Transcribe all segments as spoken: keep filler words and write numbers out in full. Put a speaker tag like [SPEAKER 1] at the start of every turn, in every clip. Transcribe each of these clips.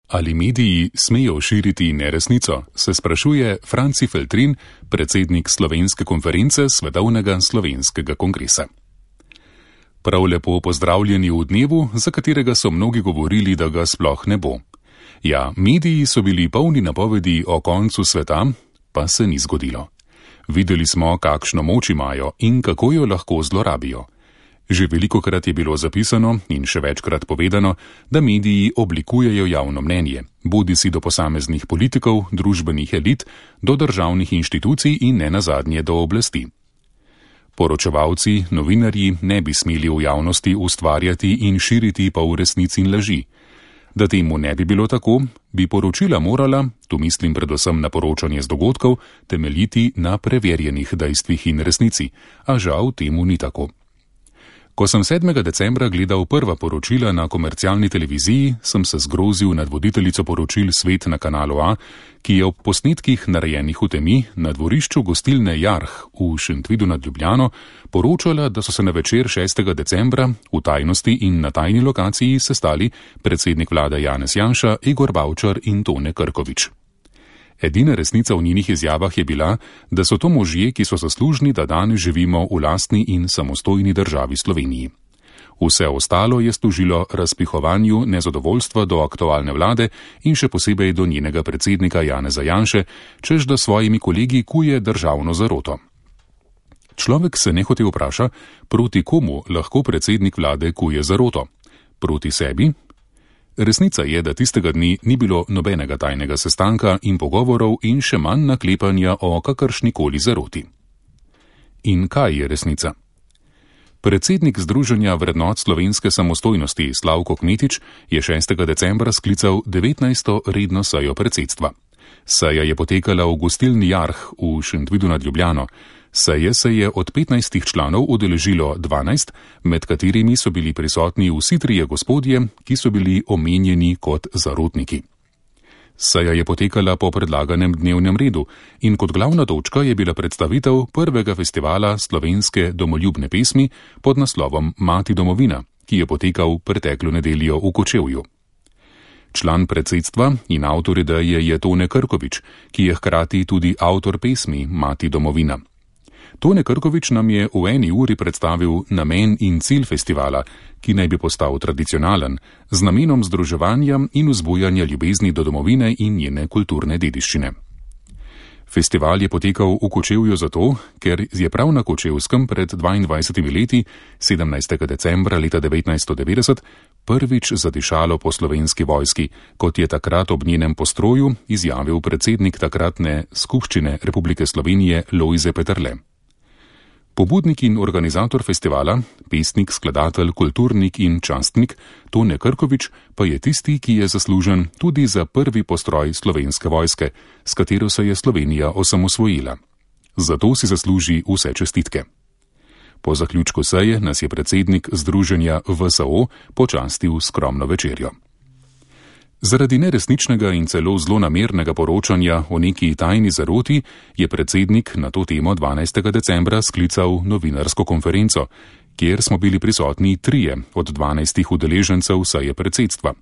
[SPEAKER 1] Ali mediji smejo širiti neresnico, se sprašuje Franci Feltrin, predsednik Slovenske konference Svetovnega slovenskega kongresa. Prav lepo pozdravljeni v dnevu, za katerega so mnogi govorili, da ga sploh ne bo. Ja, mediji so bili polni napovedi o koncu sveta, pa se ni zgodilo. Videli smo, kakšno moč imajo in kako jo lahko zlorabijo. Že velikokrat je bilo zapisano in še večkrat povedano, da mediji oblikujejo javno mnenje, bodisi do posameznih politikov, družbenih elit, do državnih inštitucij in ne nazadnje do oblasti. Poročevalci, novinarji ne bi smeli v javnosti ustvarjati in širiti polresnic in laži. Da temu ne bi bilo tako, bi poročila morala, tu mislim predvsem na poročanje z dogodkov, temeljiti na preverjenih dejstvih in resnici, a žal temu ni tako. Ko sem sedmega decembra gledal prva poročila na komercialni televiziji, sem se zgrozil nad voditeljico poročil Svet na kanalu A, ki je ob posnetkih narejenih v temi na dvorišču gostilne Jarh v Šentvidu nad Ljubljano poročala, da so se na večer šestega decembra v tajnosti in na tajni lokaciji sestali predsednik vlade Janez Janša, Igor Bavčar in Tone Krkovič. Edina resnica v njenih izjavah je bila, da so to možje, ki so zaslužni, da danes živimo v lastni in samostojni državi Sloveniji. Vse ostalo je služilo razpihovanju nezadovoljstva do aktualne vlade in še posebej do njenega predsednika Janeza Janše, čež da svojimi kolegi kuje državno zaroto. Človek se nehote vpraša, proti komu lahko predsednik vlade kuje zaroto? Proti sebi? Resnica je, da tistega dni ni bilo nobenega tajnega sestanka in pogovorov in še manj naklepanja o kakršnikoli zaroti. In kaj je resnica? Predsednik Združenja vrednot slovenske samostojnosti Slavko Kmetič je šestega decembra sklical devetnajsto redno sejo predsedstva. Seja je potekala v gostilni Jarh v Šentvidu nad Ljubljano. Seje se je od petnajstih članov udeležilo dvanajst, med katerimi so bili prisotni vsi trije gospodje, ki so bili omenjeni kot zarotniki. Seja je potekala po predlaganem dnevnem redu in kot glavna točka je bila predstavitev prvega festivala slovenske domoljubne pesmi pod naslovom Mati domovina, ki je potekal preteklo nedeljo v Kočevju. Član predsedstva in avtor ideje je Tone Krkovič, ki je hkrati tudi avtor pesmi Mati domovina. Tone Krkovič nam je v eni uri predstavil namen in cilj festivala, ki naj bi postal tradicionalen, z namenom združevanja in vzbujanja ljubezni do domovine in njene kulturne dediščine. Festival je potekal v Kočevju zato, ker je prav na Kočevskem pred dvaindvajsetimi leti, sedemnajstega decembra leta devetnajststo devetdeset, prvič zadišalo po slovenski vojski, kot je takrat ob njenem postroju izjavil predsednik takratne skupščine Republike Slovenije Lojze Peterle. Pobudnik in organizator festivala, pesnik, skladatelj, kulturnik in častnik Tone Krkovič pa je tisti, ki je zaslužen tudi za prvi postroj slovenske vojske, s katero se je Slovenija osamosvojila. Zato si zasluži vse čestitke. Po zaključku seje nas je predsednik Združenja V S O počastil skromno večerjo. Zaradi neresničnega in celo zlonamernega poročanja o neki tajni zaroti je predsednik na to temo dvanajstega decembra sklical novinarsko konferenco, kjer smo bili prisotni trije od dvanajstih udeležencev seje predsedstva.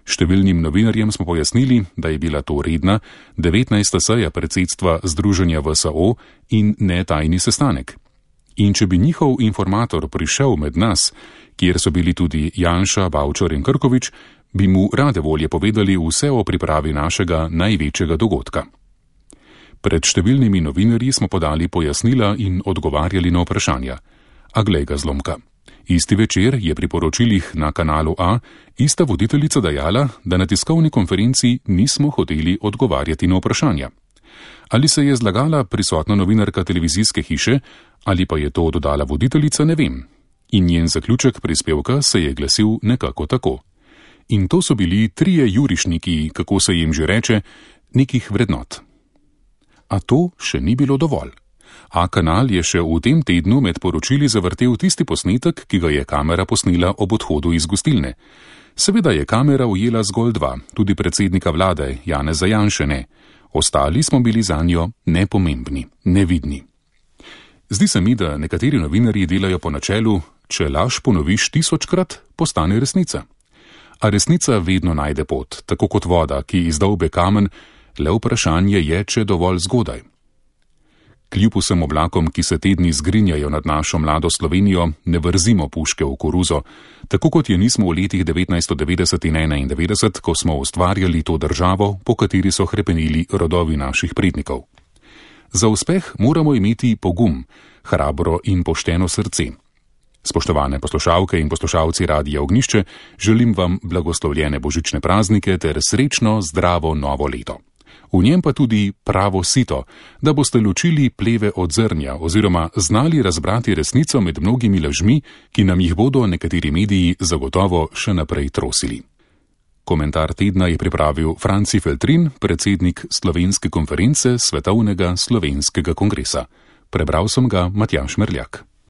[SPEAKER 1] Številnim novinarjem smo pojasnili, da je bila to redna devetnajsta seja predsedstva Združenja V S O in ne tajni sestanek. In če bi njihov informator prišel med nas, kjer so bili tudi Janša, Bavčar in Krkovič, bi mu rade volje povedali vse o pripravi našega največjega dogodka. Pred številnimi novinarji smo podali pojasnila in odgovarjali na vprašanja. A glej ga zlomka. Isti večer je pri poročilih na kanalu A ista voditeljica dejala, da na tiskovni konferenci nismo hoteli odgovarjati na vprašanja. Ali se je zlagala prisotna novinarka televizijske hiše, ali pa je to dodala voditeljica, ne vem. In njen zaključek prispevka se je glasil nekako tako. In to so bili trije jurišniki, kako se jim že reče, nekih vrednot. A to še ni bilo dovolj. A kanal je še v tem tednu med poročili zavrtel tisti posnetek, ki ga je kamera posnela ob odhodu iz gostilne. Seveda je kamera ujela zgolj dva, tudi predsednika vlade Janeza Janše ne. Ostali smo bili zanjo nepomembni, nevidni. Zdi se mi, da nekateri novinarji delajo po načelu, če laž ponoviš tisočkrat, postane resnica. A resnica vedno najde pot, tako kot voda, ki izdolbe kamen, le vprašanje je, če dovolj zgodaj. Kljub vsem oblakom, ki se tedni zgrinjajo nad našo mlado Slovenijo, ne vrzimo puške v koruzo, tako kot je nismo v letih devetnajststo devetdeset in enaindevetdeset, ko smo ustvarjali to državo, po kateri so hrepenili rodovi naših prednikov. Za uspeh moramo imeti pogum, hrabro in pošteno srce. Spoštovane poslušalke in poslušalci Radia Ognjišče, želim vam blagoslovljene božične praznike ter srečno, zdravo novo leto. V njem pa tudi pravo sito, da boste ločili pleve od zrnja oziroma znali razbrati resnico med mnogimi lažmi, ki nam jih bodo nekateri mediji zagotovo še naprej trosili. Komentar tedna je pripravil Franci Feltrin, predsednik Slovenske konference Svetovnega slovenskega kongresa. Prebral sem ga Matjaž Merljak.